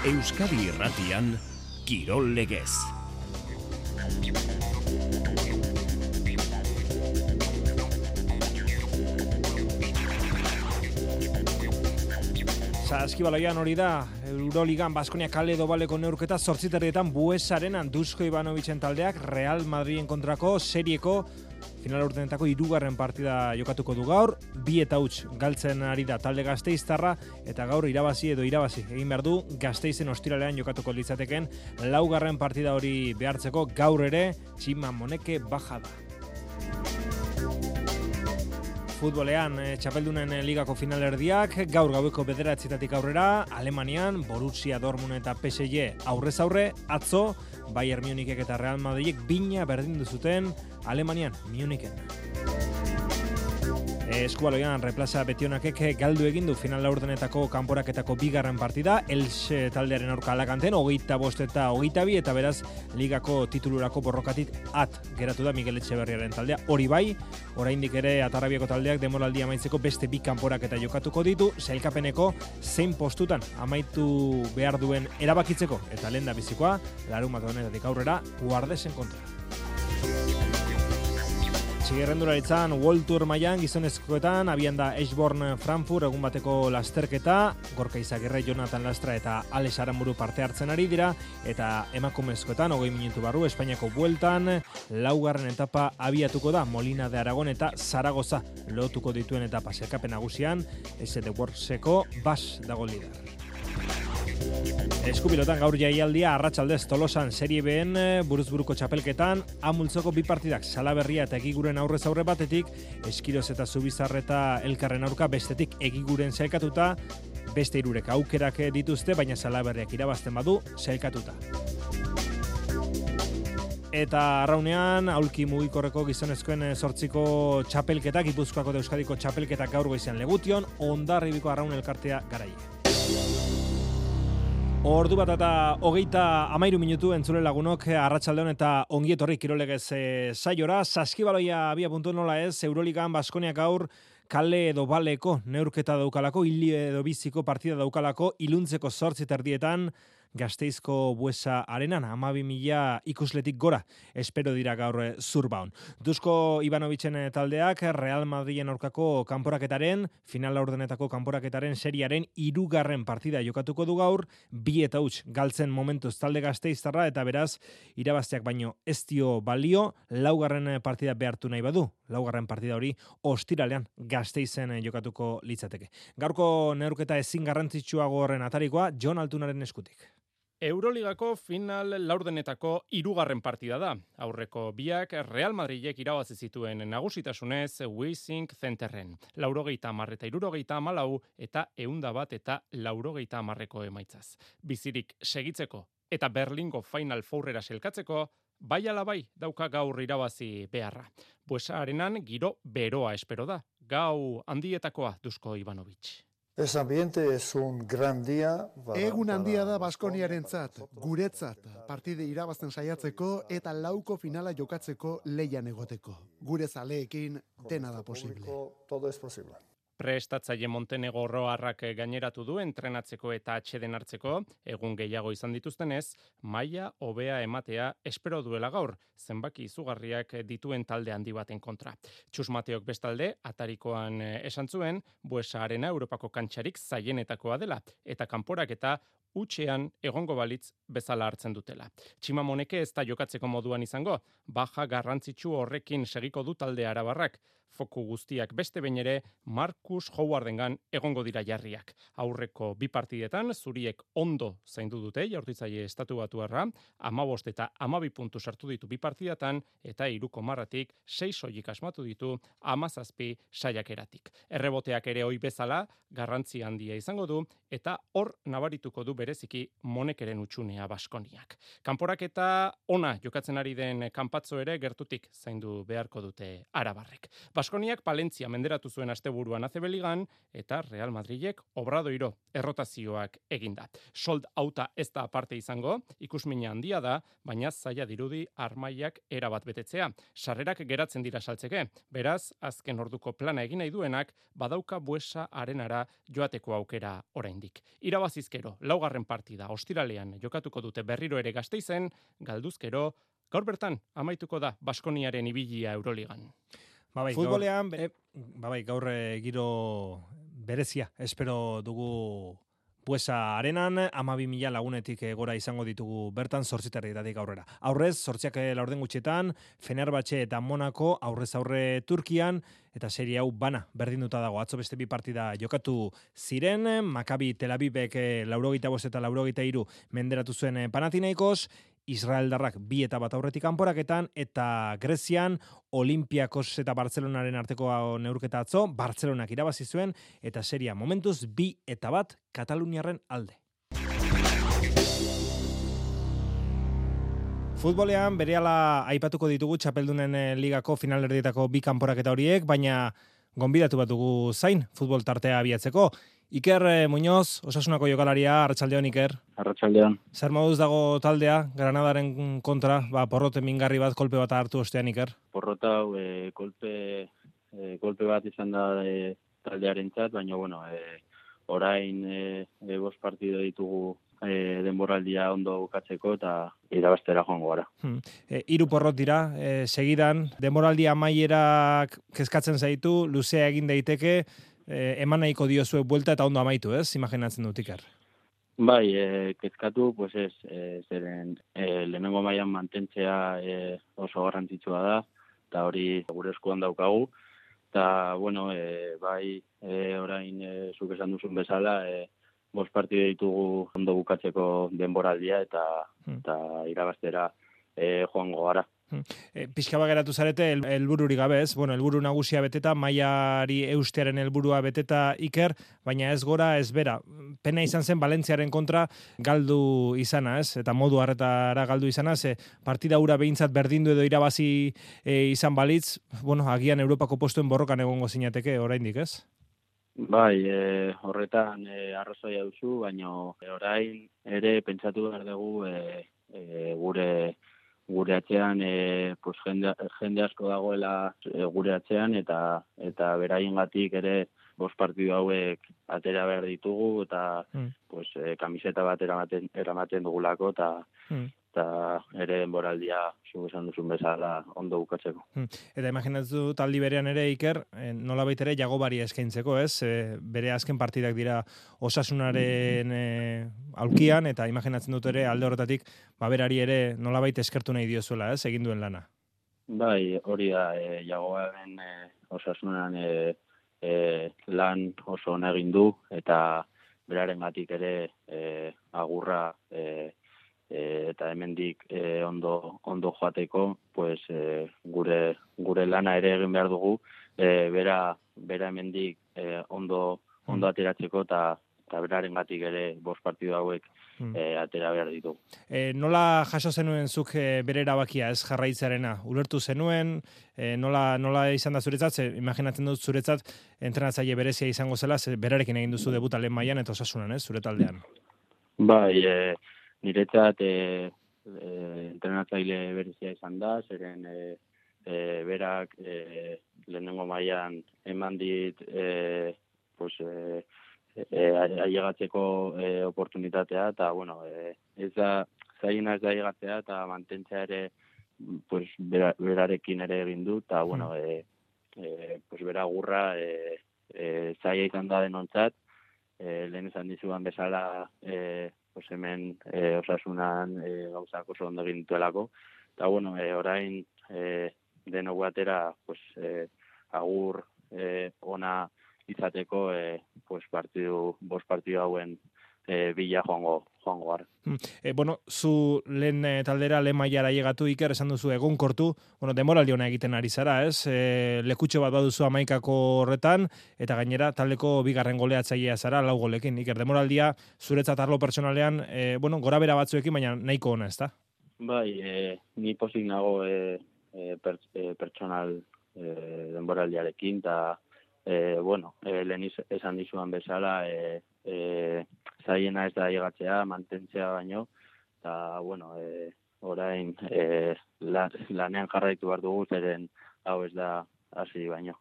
Euskadi Irratian, Kirol Legez. Saskibaloian hori da, Euroligan Baskonia kale dobaleko neurketa 8:30 Buesaren Dusko Ivanovicen taldeak Real Madriden kontrako serieko final urtenetako 3. partida jokatuko du gaur, 2-0 galtzen ari da talde gasteiztarra eta gaur irabazi egin behar du Gasteizen ostiralean jokatuko litzateken 4. partida hori behartzeko gaur ere Txima Moneke baja da. Futbolean, txapeldunen ligako finalerdiak, gaur gaueko 9:00 aurrera, Alemanian, Borussia Dortmund eta PSG aurrez aurre, atzo, Bayern Munichek eta Real Madridek bina berdindu zuten Alemanian, Munichen. Eskubaloian, Replaza Betionakek galdu egin du final laurdenetako kanporaketako 2. partida, Elche taldearen aurka Alakanten, 25 eta 22, eta beraz, ligako titulurako borrokatik geratu da Miguel Etxeberriaren taldea. Hori bai, oraindik ere Atarrabiako taldeak demoraldia amaitzeko beste 2 kanporaketa jokatuko ditu, sailkapeneko zein postutan amaitu behar duen erabakitzeko, eta lehen da bizikoa, larunbat honetatik aurrera, Guardesen kontra. Txigerrendularitzan World Tour mailan gizonezkoetan abian da Eschborn Frankfurt egun bateko lasterketa, Gorka Izagirre, Jonathan Lastra eta Alex Aramburu parte hartzen ari dira, eta emakumezkoetan 20 minutu barru Espainiako bueltan 4. etapa abiatuko da Molina de Aragon eta Zaragoza lotuko dituen etapa sailkapen nagusian, SD Workseko Bas dago lider. Eskupilotan gaur jaialdia arratsaldez Tolosan Serie B'n buruzburuko txapelketan amultzoko 2 partidak Salaberria eta Egiguren aurrez aurre batetik, Eskiroz eta Zubizarreta elkarren aurka bestetik Egiguren sailkatuta, beste 3 aukerak dituzte, baina Salaberriak irabazten badu sailkatuta. Eta arraunean, aulki mugikorreko gizonezkoen 8ko txapelketak, Gipuzkoako eta Euskadiko txapelketak gaur goizean Legution, Hondarribiko arraun elkartea Garai. Ordu bat eta 33 minutu entzule lagunok arratsaldeon eta ongi etorri Kirol Legez saiora. Saskibaloia abia.nola ez, Euroligan Baskonia gaur kale edo baleko neurketa daukalako, hili edo biziko partida daukalako, iluntzeko 8:30 Gasteizko Buesa arenan, 12.000 ikusletik gora, espero dira gaur Zurbaon. Dusko Ivanovicen taldeak Real Madriden aurkako kanporaketaren, final laurdenetako kanporaketaren seriaren 3. partida jokatuko du gaur, 2-0 galtzen momentuz talde gasteiztarra, eta beraz, irabazteak baino ez dio balio, 4. partida behartu nahi badu, 4. partida hori ostiralean Gasteizen jokatuko litzateke. Gaurko neurketa ezin garrantzitsuago horren atarikoa, Jon Altunaren eskutik. Euroligako final laurdenetako 3. partida da. Aurreko biak Real Madridek irabazi zituen nagusitasunez Wissink Centerren. 80 eta 74 eta 101 eta 80 emaitzaz. Bizirik segitzeko eta Berlingo Final Fourrera selkatzeko bai ala bai dauka gaur irabazi beharra. Buesa arenan giro beroa espero da. Gau handietakoa Dusko Ivanovic. Es ambiente, es un gran día. Egun handia da Baskoniarentzat, guretzat, partide irabazten saiatzeko eta 4ko finala jokatzeko leian egoteko. Gure zaleekin dena da posible. Todo es posible. Prestatzaile Montenegorroarrak gaineratu du entrenatzeko eta atxeden hartzeko, egun gehiago izan dituztenez, maila hobea ematea espero duela gaur, zenbaki izugarriak dituen talde handi baten kontra. Txus Mateok bestalde, atarikoan esan zuen, Buesa Arena Europako kantxarik zaienetakoa dela, eta kanporak eta utxean egongo balitz bezala hartzen dutela. Txima Moneke ez da jokatzeko moduan izango, baja garrantzitsu horrekin segiko du talde arabarrak. Foku guztiak beste behin ere Marcus Howardengan egongo dira jarriak. Aurreko 2 partidetan zuriek ondo zaindu dute jaurtitzaile estatubatuarra, 15 eta 12 puntu sartu ditu 2 partidatan eta 3,6 soilik asmatu ditu 17 saiakeratik. Erreboteak ere ohi bezala garrantzi handia izango du eta hor nabarituko du bereziki Monekeren utxunea Baskoniak. Kanporaketa ona jokatzen ari den kanpatzo ere gertutik zaindu beharko dute arabarrek. Baskoniak Palentzia menderatu zuen asteburuan ACB Ligan eta Real Madridek Obradoiro errotazioak eginda. Sold auta ez da aparte izango, ikusmina handia da, baina zaila dirudi armaiak erabat betetzea. Sarrerak geratzen dira saltzeke, beraz, azken orduko plana egin nahi duenak, badauka Buesa arenara joateko aukera oraindik. Irabazizkero, laugarren partida, ostiralean jokatuko dute berriro ere Gasteizen, galduzkero, gaur bertan amaituko da Baskoniaren ibilia Euroligan. Futbolean, gaur giro berezia, espero dugu Buesa arenan, 12.000 lagunetik gora izango ditugu bertan 8:00 aurrera. Aurrez, 8:00 gutxietan, Fenerbahce eta Monaco aurrez aurre Turkian, eta serie hau bana berdinduta dago. Atzo beste bi partida jokatu ziren, Maccabi Tel Avivek 85 eta 83 menderatu zuen Panathinaikos, Israeldarrak 2 eta 1 aurretik kanporaketan, eta Grezian Olympiakos eta Bartzelonaren arteko neurketa atzo, Bartzelonak irabazi zuen, eta seria momentuz 2 eta 1 Kataluniarren alde. Futbolean berehala aipatuko ditugu txapeldunen ligako finalerdietako 2 kanporaketa horiek, baina gonbidatu bat dugu zain futbol tartea abiatzeko. Iker Muñoz, Osasunako jokalaria, arratsaldeon Iker. Arratsaldeon. Zer moduz dago taldea, Granadaren kontra, porrote mingarri bat, kolpe bat hartu ostean Iker? Porrota hau kolpe bat izan da taldearentzat, baina orain 5 partido ditugu denboraldia ondo bukatzeko eta irabaztera joango gara. 3 porrot dira, segidan, denboraldia amaierak kezkatzen zaitu, luzea egin daiteke, eman nahiko diozue buelta eta ondo amaitu, ez? Imaginatzen dut Iker. Bai, kezkatu, pues ez, zeren lehenengo mailan mantentzea oso garrantzitsua da, eta hori gure eskuan daukagu, eta, bai, orain zuk esan duzun bezala, 5 partido ditugu ondo bukatzeko denboraldia eta irabaztera joango gara. Pixka geratu zarete helbururi gabe, ez? Helburu nagusia beteta, mailari eustearen helburua beteta Iker, baina ez gora, ez bera. Pena izan zen Valentziaren kontra galdu izana, ez? Eta modu harretara galdu izana, partida hura behintzat berdindu edo irabazi izan balitz, agian Europako postuen borrokan egongo zinateke oraindik, ez? Bai, horretan arrazoia duzu, baina orain ere pentsatu behar dugu gure atzean jende asko dagoela gure atzean eta beraiengatik ere 5 partidu hauek atera behar ditugu eta kamiseta bat eramaten dugulako eta ere denboraldia zuk esan duzun bezala ondo bukatzeko. Eta imaginatzu taldi berean ere Iker, nolabait ere Jagobari eskaintzeko, ez? Bere azken partidak dira Osasunaren aulkian, eta imaginatzen dut ere alde horretatik berari ere nolabait eskertu nahi diozuela, ez? Egin duen lana. Bai, hori da, Jagobaren Osasunan lan oso ona egin du, eta berarengatik ere agurra eta hemendik ondo joateko, gure lana ere egin behar dugu, bera hemendik ondo ateratzeko eta berarengatik ere 5 partidu hauek atera behar ditugu. Nola jaso zenuen zuk bere erabakia, ez jarraitzearena? Ulertu zenuen, nola izan da zuretzat? Imaginatzen dut zuretzat entrenatzaile berezia izango zela, berarekin egin duzu debuta lehen mailan eta Osasunan, ez, zure taldean? Bai, niretzat entrenatzaile berezia izan da, zeren berak lehenengo mailan eman dit ailegatzeko oportunitatea, eta ez da zailena ez da ailegatzea, eta mantentzea ere berarekin ere egin du, eta bera agurra zaila izan da denontzat, lehen esan dizuan bezala hemen Osasunan gauzak oso ondo egin dituelako, eta orain denok batera agur ona izateko 5 partidu hauen bila joango gara. Zu lehen taldera, lehen mailara llegatu Iker, esan duzu egonkortu, demoraldi ona egiten ari zara, ez? Lekutxo bat baduzu 11ko horretan, eta gainera taldeko 2. goleatzailea zara, 4 golekin. Iker, demoraldia zuretzat arlo pertsonalean, gora bera batzuekin, baina nahiko ona, ez da? Bai, ni pozik nago pertsonal denboraldiarekin, eta lehen esan dizuan bezala, zaiena ez da llegatzea, mantentzea baino, eta, orain lanean jarraitu behar dugu, zeren hau ez da hasi baino.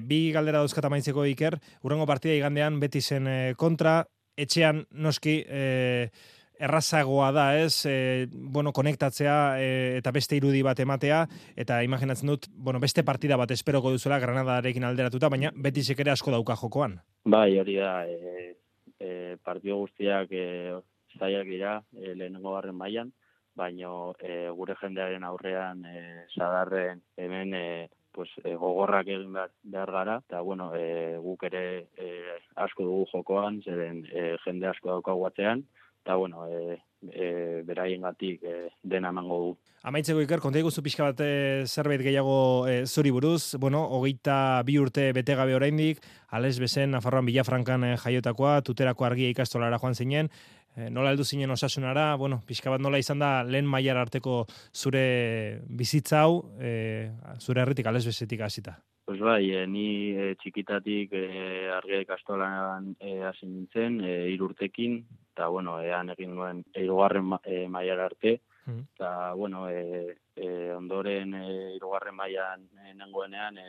Bi galdera dauzkat amaitzeko, Iker, hurrengo partida igandean Betisen kontra, etxean noski errazagoa da, ez? Konektatzea eta beste irudi bat ematea, eta imaginatzen dut, beste partida bat esperoko duzuela Granadarekin alderatuta, baina Betisek ere asko dauka jokoan. Bai, hori da, partido guztiak zailak dira lehenengo garren mailan, baina gure jendearen aurrean sadarren hemen gogorrak egin behar gara, eta guk ere asko dugu jokoan, zeren jende asko daukagu atzean, eta beraiengatik dena emango du. Amaitzeko, Iker, konta iguzu pixka bat zerbait gehiago zuri buruz, 22 urte bete gabe oraindik, Ales Besen, Nafarroan Villafrancan jaiotakoa, tuterako argia ikastolara joan zinen, nola heldu zinen Osasunara, pixka bat nola izan da lehen mailara arteko zure bizitza hau, zure herritik Ales Besetik hasita. Pues bai, ni txikitatik argia ikastolan hasi nintzen, 3 urtekin, eta ean egin nuen 3. mailara arte, eta ondoren 3. mailan nengoenean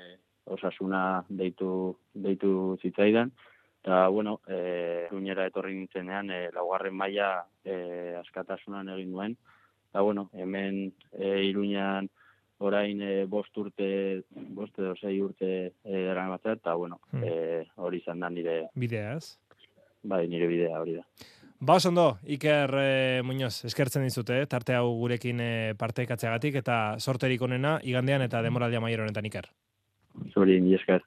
Osasuna deitu zitzaidan, eta Iruñera etorri nintzenean 4. maila askatasunan egin nuen, eta hemen Iruñan orain 5 edo 6 urte daramatzat, eta hori izan da nire bidea, ez? Bai, nire bidea hori da. Ondo, Iker Muñoz, eskertzen dizute, tarte hau gurekin partekatzeagatik, eta sorterik onena igandean eta denboraldia amaiera honetan, Iker. Zuri, ni esker.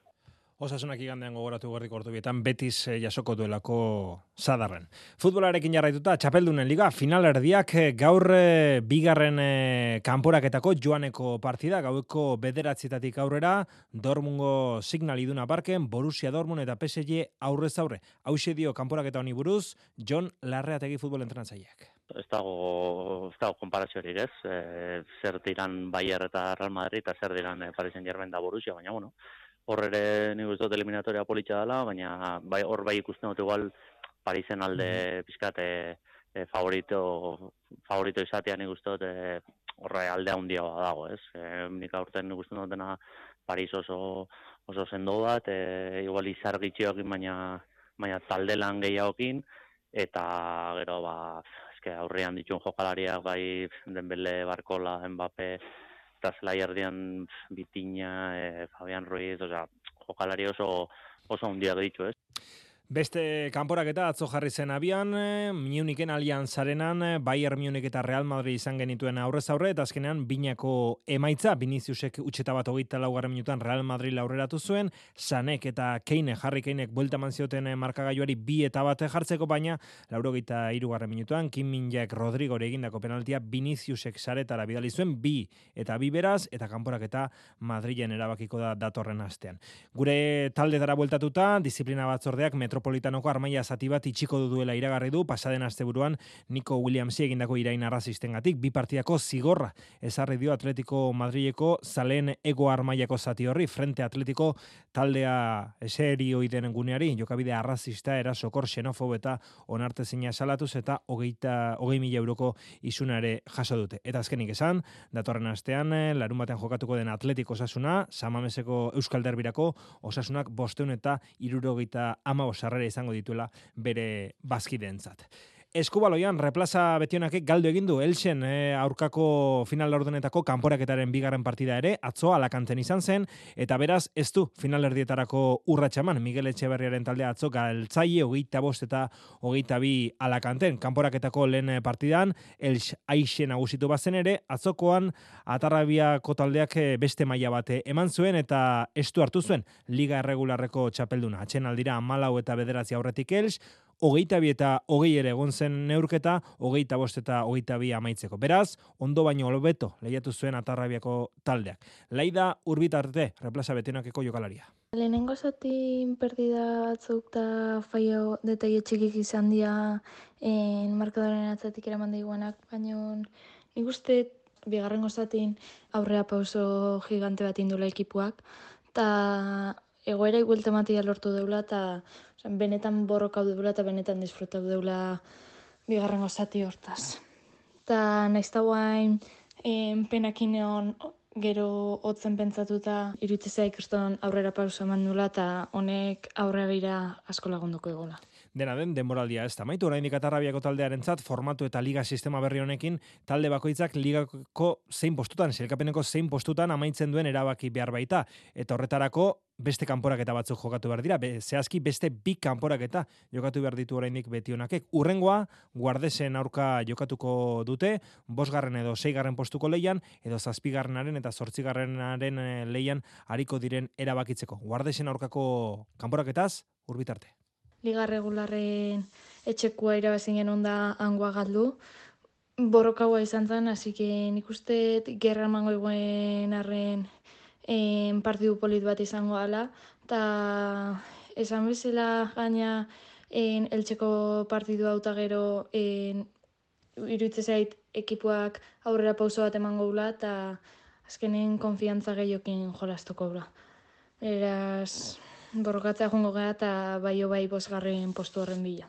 Osasunak igandean gogoratu gerdiko ordu Betis jasoko duelako Sadarren. Futbolarekin jarraituta, Txapeldunen Liga, finalerdiak gaur bigarren kanporaketako joaneko partida, gaueko 9:00 aurrera, Dortmungo Signal Iduna Parken, Borussia Dortmund eta PSG aurrez aurre. Hauxe dio kanporaketa honi buruz, Jon Larreategi futbol entrenatzaileak. Ez dago konparaziorik, ez? Zer diran Bayern eta Real Madrid, eta zer diran Paris Saint-Germain da Borussia, baina hor ere nik uste dut eliminatoria politxa dela, baina hor bai ikusten dut igual Parisen alde pizkat favorito izatea nik uste dut horre alde handiagoa dago, ez? Nik aurten nik uste dutena Paris oso sendo bat, igual izar gitxioekin, baina talde lan gehiagokin, eta gero aurrean dituen jokalariak bai Dembele, Barcola, Mbappé, eta zelai erdian Bitina, Fabian Ruiz, jokalari oso hundiak ditu, ez? Beste kanporaketa atzo jarri zen abian, Munichen Allianzarenan, Bayern Munich eta Real Madrid izan genituen aurrez aurre, eta azkenean binako emaitza, Viniciusek utxeta bat 24 minutuan Real Madrid aurreratu zuen, Sanek eta Harry Keinek buelta eman zioten markagailuari 2-1 jartzeko, baina 83 minutuan, Kim Min-jaek Rodrigori egindako penaltia, Viniciusek saretara bidali zuen 2-2 beraz, eta kanporaketa Madrilen erabakiko da datorren astean. Gure taldetara bueltatuta, disiplina batzordeak Metropolitanoko armaia zati bat itxiko duela iragarri du, pasaden asteburuan Nico Williamsi egindako irain arrazistengatik, 2 partidako zigorra ezarri dio Atletico Madrileko zaleen ego armaiako zati horri, Frente Atletico taldea eserioiden guneari, jokabide arrazista, erasokor, xenofobo eta onartezina salatuz, eta 20.000 euroko isunare jaso dute. Eta azkenik esan, datorren astean, larun batean jokatuko den Atletico Osasuna, Samameseko Euskal Derbirako Osasunak 575 sarrera izango dituela bere bazkideentzat. Eskubaloian, replaza Betionakek galdu egin du Elxen aurkako final laurdenetako kanporaketaren bigarren partida ere, atzo Alakanten izan zen, eta beraz ez du finalerdietarako urratxaman, Miguel Etxeberriaren taldea atzo galtzaile 25 eta 22 Alakanten. Kanporaketako lehen partidan, Elx aixe nagusitu bazen ere, atzokoan Atarrabiako taldeak beste maila bate eman zuen, eta estu hartu zuen Liga Erregularreko txapelduna. Atxenaldira 14 eta 9 aurretik Elx, 22 eta 20 ere egon zen neurketa, 25 eta 22 amaitzeko. Beraz, ondo baino hobeto lehiatu zuen Atarrabiako taldeak. Laida Urbitarte, replaza Betionakeko jokalaria. Lehenengo zatin perdida batzuk eta faio detaile txikik izan dira markadoren atzatik eraman daiguanak, baina nik uste bigarrengo zatin aurrea pauso gigante bat indula ekipuak, eta egoera iguelta matia lortu deula, eta benetan borrokau deula, eta benetan disfrutau deula bigarrengo zati hortaz. Eta nahiz da guain penakin egon gero hotzen pentsatuta iruditzea ikaston aurrera pauso eman dula, eta honek aurrera gira asko lagunduko egola. Dena den, denboraldia ez da maitu, oraindik Atarrabiako taldearentzat formatu eta liga sistema berri honekin talde bakoitzak ligako zein postutan, sailkapeneko zein postutan amaitzen duen erabaki behar baita, eta horretarako beste kanporaketa batzuk jokatu behar dira, zehazki beste bi kanporaketa jokatu behar ditu oraindik betionakek. Urrengoa, Guardesen aurka jokatuko dute, 5. edo 6. postuko leian, edo 7. eta 8. leian ariko diren erabakitzeko. Guardesen aurkako kanporaketaz, urbitarte. Liga regularren etxekua irabazin genuen da hangoa galdu. Borrokaua izan zen, hasi nik uste gerra emango eguen arren partidu polit bat izango ala, eta esan bezala gaina eltseko partidu hauta gero iruditzen zait ekipuak aurrera pauso bat emango gula, eta azkenen konfiantza gehiokin jolastuko gula. Eraz, borrokatzea joango gara eta bai 5. postu horren bila.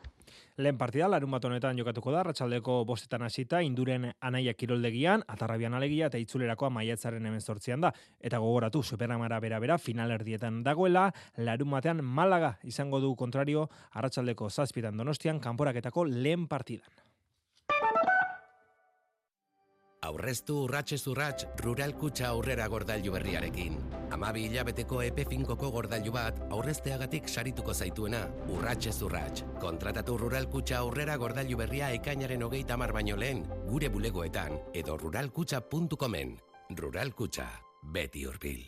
Lehen partida, larunbat honetan jokatuko da, arratsaldeko 5 hasita, Induren Anaia kiroldegian, Atarrabian alegia eta Itzulerakoa maiatzaren 18 da. Eta gogoratu, Superamara bera finalerdietan dagoela, larunbatean Malaga izango du kontrario, arratsaldeko 7 Donostian, kanporaketako lehen partidan. Aurreztu urratsez urrats Rural Kutxa aurrera gordailu berriarekin. 12 hilabeteko epe finkoko gordailu bat aurrezteagatik sarituko zaituena, urratsez urrats. Kontratatu Rural Kutxa aurrera gordailu berria ekainaren 30 baino lehen, gure bulegoetan edo ruralkutxa.comen. Rural Kutxa, beti hurbil.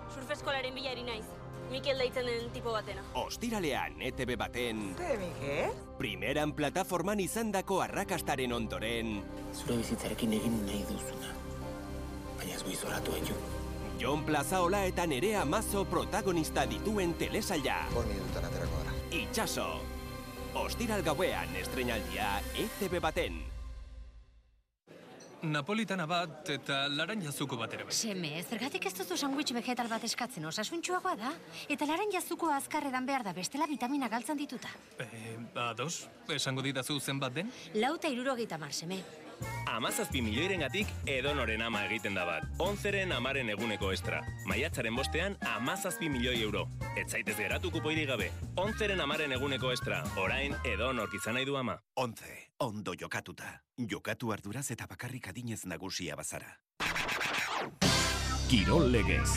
Surfeskolaren bilari naiz. Mikel deitzen den tipo batena. Ostiralean, ETV baten... Ze, Mikel? Primeran plataforman izandako arrakastaren ondoren... Zure bizitzarekin egin nahi duzuna. Baina ez goizoratu egin. Jon Plazaola eta Nerea Mazo protagonista dituen telesaila. Por minutan aterako gara. Itxaso. Ostiral gauean estreinaldia ETV baten. Napolitana bat eta laranjazuko bat ere bai. Seme, zergatik ez duzu sandwich vegetal bat eskatzen, osasuntsuagoa da? Eta laranjazuko azkarredan behar da, bestela vitamina galtzen dituta. Ados, esango didazu zenbat den? 4,70, seme. 17 milioirengatik edonoren ama egiten da bat. 11ren amaren eguneko estra. Maiatzaren 5ean 17 milioi euro. Ez zaitez geratu kupoirik gabe. 11ren amaren eguneko estra. Orain edonork izan nahi du ama. 11. Ondo jokatuta. Jokatu arduraz eta bakarrik adinez nagusia bazara. Kirol legez.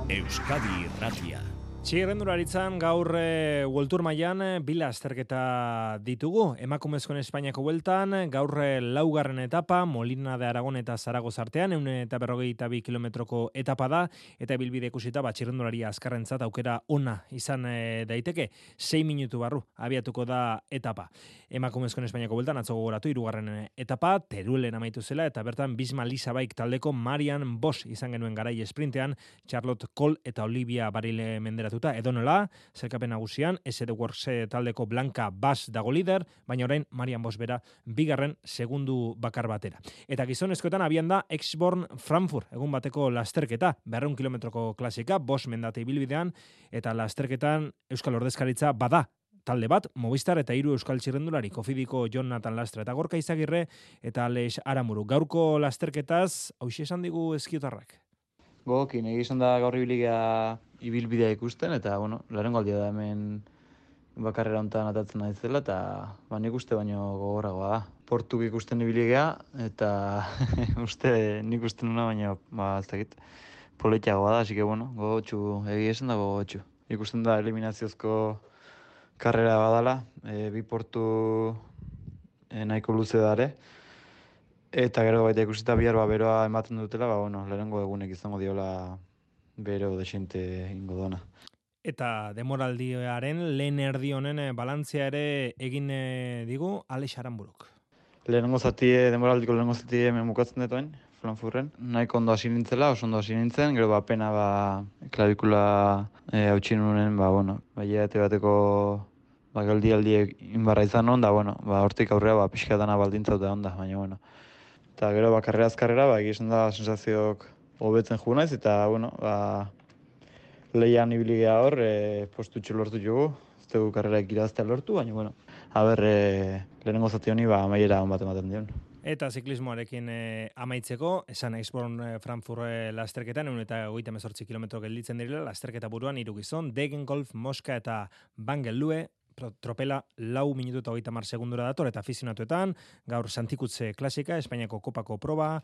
Euskadi Irratia. Txirrendularitzan gaur World Tour mailan bila azterketa ditugu. Emakumezkoen Espainiako bueltan, gaur 4. etapa, Molina de Aragon eta Zaragoza artean, 152 kilometroko etapa da, eta bilbide ikusita txirrendularia azkarrentzat aukera ona izan daiteke. 6 minutu barru abiatuko da etapa. Emakumezkoen Espainiako bueltan atzo gogoratu 3. etapa, Teruelen amaitu zela, eta bertan Bisma Lisabaik taldeko Marian Bosch izan genuen garai esprintean, Charlotte Kohl eta Olivia Barile menderatuta, edonola, zerkapen nagusian, SD Works taldeko Blanca Bass dago lider, baina orain Marian Bosch bera 2. segundu bakar batera. Eta gizonezkoetan abian da Exborn Frankfurt, egun bateko lasterketa, 200 kilometroko klasika, Bosch mendate ibilbidean, eta lasterketan Euskal Ordezkaritza bada, talde bat, Movistar eta 3 euskal txirrendulari, Kofidiko Jonathan Lastra eta Gorka Izagirre eta Alex Aramuru. Gaurko lasterketaz, hauxe esan digu eskiotarrak. Gogokin, egizan da gaur ibilbidea ikusten, eta, lehenengo aldia da hemen bakarrera hontan atatzen naizela, eta nik uste baino gogorragoa da. Portuk ikusten ibilbidea, eta nik uste nuna, baina, ez dakit, poletiagoa da, así que, gogotxu, egizan da gogotxu. Ikusten da eliminaziozko karrera badala, bi portu nahiko luze dare, eta gero baita ikusita bihar beroa ematen dutela, lehenengo egunek izango diola bero desente ingo dona. Eta demoraldiaren lehen erdi honen balantzea ere egin digu Alex Aramburuk. Demoraldiko lehenengo zati hemen bukatzen detoen, Frankfurten. Nahiko ondo hasi nintzela, oso ondo hasi nintzen, gero pena klavikula hautsi nunen, hilabete bateko geldialdiek inbarra izan hon, da hortik aurrera pixka dana baldintza dute onda, baina Eta gero, karrera azkarrera, egizan da sensazioak hobetzen jugu naiz, eta, bueno, lehian ibili geha hor, postutxo lortu jugu, ez dugu karreraik iraztea lortu, baina, bueno, lehenengo zati honi, amaiera hon bat ematen dion. Eta ziklismoarekin amaitzeko, esan Eisborn Frankfurt lasterketan, eta 38 kilometro gelditzen direla, lasterketa buruan 3 gizon, Degenkolb, Moska eta Bangelue, tropela 4 minutu eta 30 segundura dator, eta afizionatuetan, gaur Santikutze klasika, Espainiako kopako proba,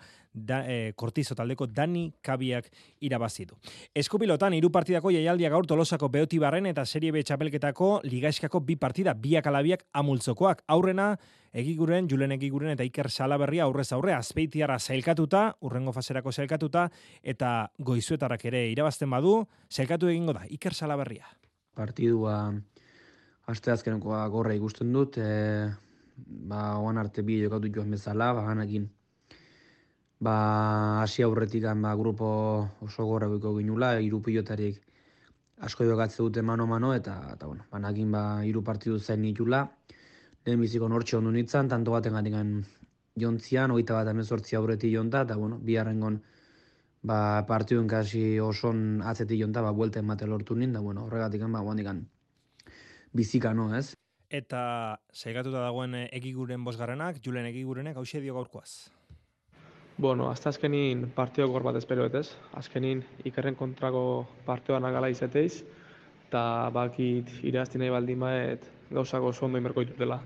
Kortizo taldeko Dani Kabiak irabazidu. Eskupilotan, 3 partidako jaialdia gaur Tolosako Beotibarren eta Serie B txapelketako ligaiskako 2 partida, 2-2 amultzokoak. Aurrena, Julen Egiguren eta Iker Salaberria aurrez aurre, Azpeitiarra sailkatuta, urrengo faserako sailkatuta, eta Goizuetarrak ere irabazten badu, sailkatu egingo da, Iker Salaberria. Partidua asteazkenekoa gorra ikusten dut, oan arte bi jokatu joan bezala, ganakin hasi aurretik grupo oso gorra biko ginula, 3 pilotarik asko jokatze dute mano-mano, eta bueno, banakin 3 partidu zain nitula, lehen biziko nortxe ondu nintzen, tanto baten gatikan jontzian, 21 aurretik jonta, eta bueno, biharrengon partiduen kasi oson atzetik jonta, buelta emate lortu nintzen, bueno, horregatik guandikan bizika, no, ez? Eta sailkatuta dagoen Egiguren bosgarrenak, Julen Egigurenek, hauxe dio gaurkoaz. Bueno, hasta azkenin partio gor bat espero ez? Azkenin Ikerren kontrako partioan agala izeteiz, eta bakit irazti nahi baldin baet gauzako oso ondo inberko ditutela.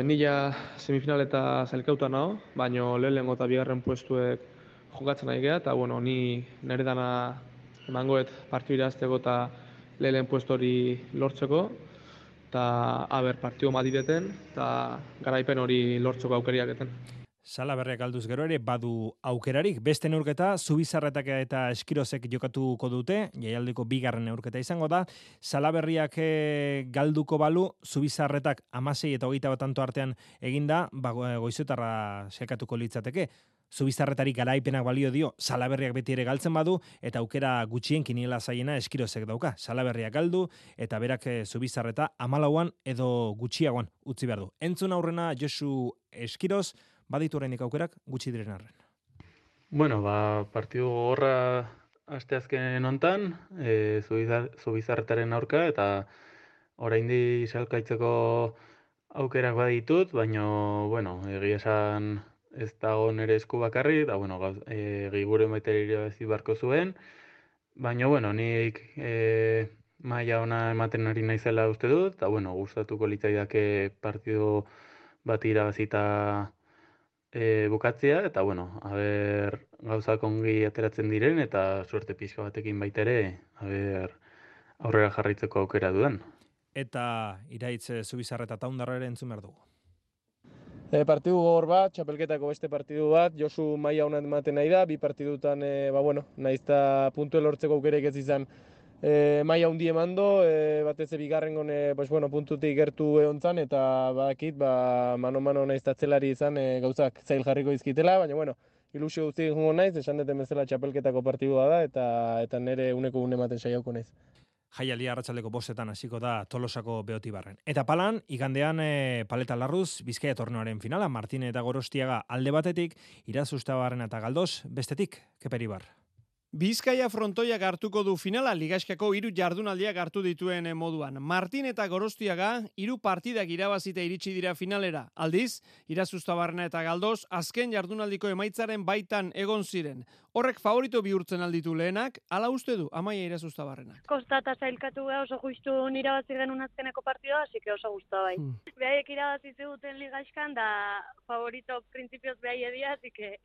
Nila semifinal eta zailkauta naho, baino lehenengo eta bigarren puestuek jokatzen nahi geha, eta bueno, ni nire dana emangoet partio irazteko eta lehen puesto hori lortzeko, eta partio madireten, eta garaipen hori lortzeko aukeriaketen. Salaberriak alduz gero ere badu aukerarik, beste neurketa, Zubizarretak eta Eskirozek jokatuko dute, jaialdiko 2. neurketa izango da, Salaberriak galduko balu, Zubizarretak 16 eta 21 tanto artean eginda, Goizuetarra sailkatuko litzateke. Zubizarretari garaipenak balio dio, Salaberriak beti ere galtzen badu, eta aukera gutxien kiniela zaiena Eskirozek dauka. Salaberriak galdu, eta berak Zubizarreta 14an edo gutxiagoan utzi behar du. Entzun aurrena Josu Eskiroz, baditu horreinik aukerak gutxi diren arren. Bueno, partidu gogorra asteazken hontan, Zubizarretaren aurka, eta oraindi salkaitzeko aukerak baditut, baina, bueno, egia esan ez dago nire esku bakarri, eta, bueno, Egiguren baita irabazi barko zuen, baina, bueno, nik maila ona ematen ari naizela uste dut, eta, bueno, gustatuko litzaidake partidu bat irabazita bukatzea, eta, bueno, gauzak ongi ateratzen diren, eta suerte pixka batekin baita ere, aurrera jarraitzeko aukera dudan. Eta iraitz Zubizarreta eta Taundarra ere entzun behar dugu. Partidu gogor bat, txapelketako beste partidu bat, Josu maila ona ematen nahi da, 2 partidutan, naizta puntu lortzeko aukerek ez izan maila hundi emando, batez bigarrengon puntutik gertu egontzan, eta badakit, mano-mano naiztatzelari izan gauzak zail jarriko izkitela, baina, ilusio guzti jungo naiz, esan deten bezala txapelketako partidua da, eta nire uneko ematen saiauko naiz. Jaialdia arratsaldeko 5etan hasiko da Tolosako Beotibarren. Eta palan, igandean Paleta Larruz, Bizkaia torneoaren finala, Martine eta Gorostiaga alde batetik, Irazustabarren eta Galdos, bestetik, Keperibar. Bizkaia frontoiak hartuko du finala ligaiskako 3 jardunaldiak hartu dituen moduan. Martin eta Gorostiaga 3 partidak irabazita iritsi dira finalera. Aldiz, Irazustabarrena eta Galdos azken jardunaldiko emaitzaren baitan egon ziren. Horrek favorito bihurtzen alditu lehenak, ala uste du Amaia Irazustabarrenak. Kostata zailkatu oso justu irabazi genuen azkeneko partidua, así que oso gustu bai. Behaiek irabazi ziguten ligaiskan da favorito printzipioz behai edia, así que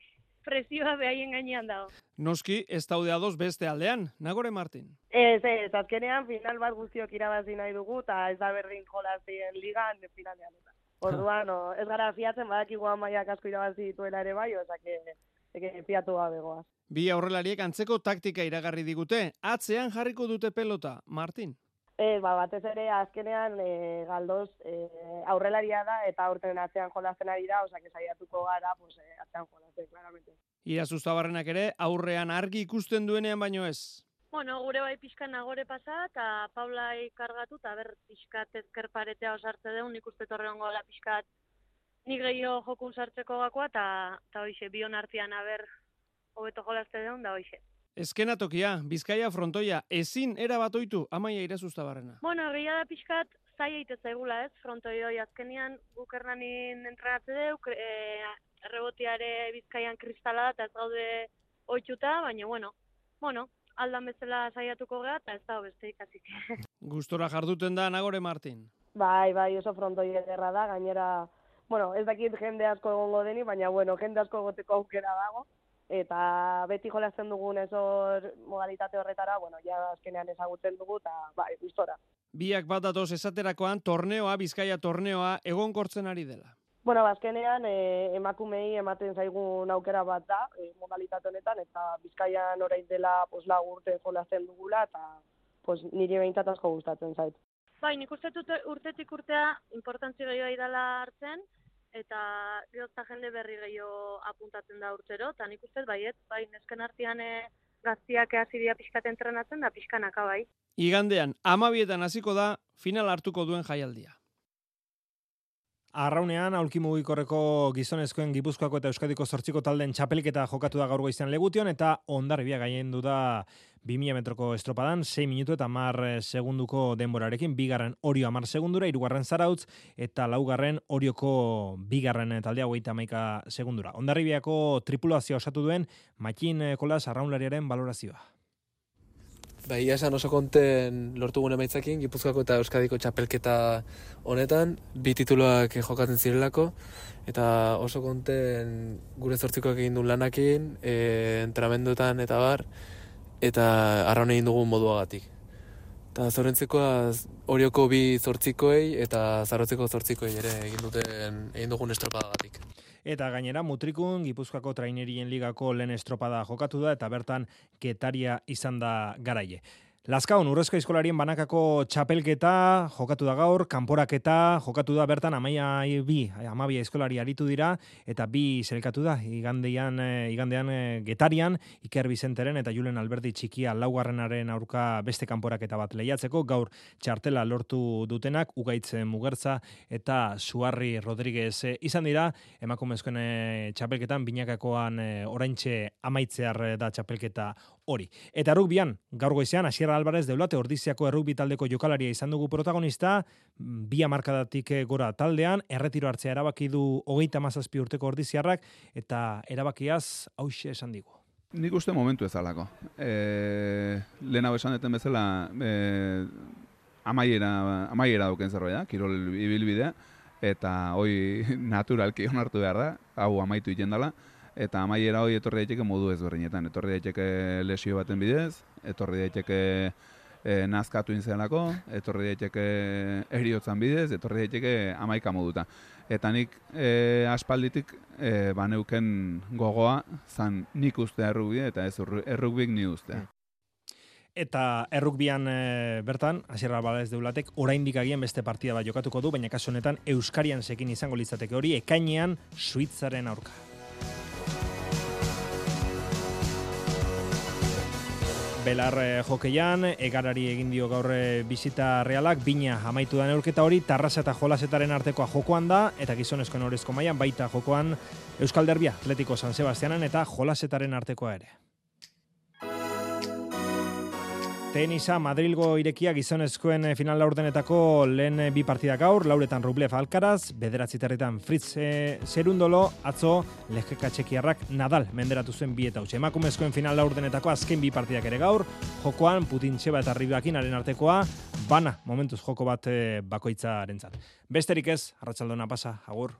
presioa behaien gainean dago. Noski, ez daude ados beste aldean, Nagore Martin. Ez, azkenean final bat guztiok irabazi nahi dugu, eta ez da berdin jolazien ligan finalean. Orduan, ez gara fiatzen, badakigu Amaiak asko irabazi dituela ere bai, ozake fiatu gabegoaz. Bi aurrelariek antzeko taktika iragarri digute, atzean jarriko dute pelota, Martin. Batez ere azkenean Galdos aurrelaria da eta aurten atzean jolazen ari da, osea que saiatuko gara atzean jolazen claramente. Irazustabarrenak ere aurrean argi ikusten duenean baino ez. Bueno, gure bai pixkan Nagore pasa eta Paulai kargatu eta ber pixkat ezker paretea osartze deun, ikuste torreongo la pixkat Ni gehiago jokun sartzeko gakoa, eta hoixe, bion artean aber hobeto jolazte deun, da hoixe. Eskenatokia, Bizkaia frontoia, ezin erabatoitu Amaia Irazustabarrena. Bueno, egia da pixkat, zai eite zaigula ez, frontoi hoi azkenian guk Hernanin entrenatze deuk, errebotiare Bizkaian kristala da, eta ez gaude oitxuta, baina bueno, aldan bezala saiatuko geha, eta ez da beste ikasik. Gustora jarduten da Nagore Martin. Bai, oso frontoi ederra da, gainera, ez dakit jende asko egongo deni, baina jende asko egoteko aukera dago. Eta beti jolazten dugun ezor modalitate horretara, ja azkenean ezagutzen dugu, eta gustora. Biak bat datoz esaterakoan, Bizkaia torneoa egonkortzen ari dela. Azkenean emakumei ematen zaigun aukera bat da, modalitate honetan, eta Bizkaian orain dela lau urte jolazten dugula, eta niri behintzat asko gustatzen zait. Bai, nik uste urtetik urtea importantzi gehiago dela hartzen, eta gehozta jende berri gehiago apuntatzen da urtero, eta nik uste bai nesken artean gaztiak hasi dira pixkat entrenatzen da pixkanaka bai. Igandean, 12etan hasiko da final hartuko duen jaialdia. Arraunean, aulki mugikorreko gizonezkoen Gipuzkoako eta Euskadiko 8 taldeen txapelketa jokatu da gaur goizean Legution, eta Hondarribia gailendu da 2000 metroko estropadan, 6 minutu eta 10 segunduko denborarekin, bigarren Orio 10 segundura, hirugarren Zarautz, eta laugarren Orioko bigarren taldea 31 segundura. Hondarribiako tripulazioa osatu duen Makin Kolas arraunlariaren balorazioa. Ia esan oso konten lortugun emaitzakin, Gipuzkoako eta Euskadiko txapelketa honetan, 2 tituluak jokatzen zirelako, eta oso konten gure 8koak egin duen lanakin, entrenamenduetan eta bar, eta arraun egin dugun moduagatik. Eta zorentzekoa Orioko 2 8koei eta Zarautzeko 8koei ere egin dugun estropadagatik. Eta gainera, Mutrikun, Gipuzkoako trainerien ligako lehen estropada jokatu da, eta bertan Getaria izan da garaile. Lazkaon, Urrezko Aizkolarien banakako txapelketa jokatu da gaur, kanporaketa jokatu da bertan Amabia Aizkolari aritu dira, eta 2 selkatu da, igandean Getarian, Iker Bizenteren eta Julen Alberdi txikia laugarrenaren aurka beste kanporaketa bat lehiatzeko, gaur txartela lortu dutenak, Ugaitz Mugertza eta Suarri Rodríguez izan dira, emakumezkoen txapelketan, binakakoan oraintxe amaitzear da txapelketa hori. Eta rugbian, gaur goizean, Asier Alvarez Deulate Ordiziako errugbi taldeko jokalaria izan dugu protagonista, 2 hamarkadatik gora taldean, erretiro hartzea erabaki du 37 urteko Ordiziarrak, eta erabakiaz hauxe esan digu. Nik uste momentu ezalako. Lehenago esan deten bezala, amaiera dauken zerbait da, kirol ibilbidea, eta hoi naturalki onartu behar da, hau amaitu iten dela, eta amaiera hoi etorri daiteke modu ezberdinetan. Etorri daiteke lesio baten bidez, etorri daiteke nazkatu inzelako, etorri daiteke eriotzan bidez, etorri daiteke amaika moduta. Eta nik aspalditik baneuken gogoa zan nik ustea errugbia eta ez errugbik ni ustea. Eta errukbian bertan, Asier Alvarez Deulatek oraindik agian beste partida bat jokatuko du, baina kasu honetan Euskarian sekin izango litzateke hori, ekainean Suitzaren aurka. Belar jokeian, Egarari egin dio gaur bisita Realak, bina amaitu da neurketa hori, Tarrasa eta Jolasetaren artekoa jokoan da, eta gizonezkoen orezko mailan baita jokoan Euskal Derbia, Atletico San Sebastianen eta Jolasetaren artekoa ere. Tenisa, Madrilgo irekia gizonezkoen final laurdenetako lehen 2 partida gaur, Lauretan Rublev Alcaraz, 9 herritan Fritz Zerundolo, atzo Lehkeka txekiarrak Nadal menderatu zuen 2 eta 8. Emakumezkoen final laurdenetako azken 2 partidak ere gaur, jokoan Putin-Txeba eta Ribakinaren artekoa, bana momentuz joko bat bakoitzarentzat. Besterik ez, arratsaldona pasa, agur.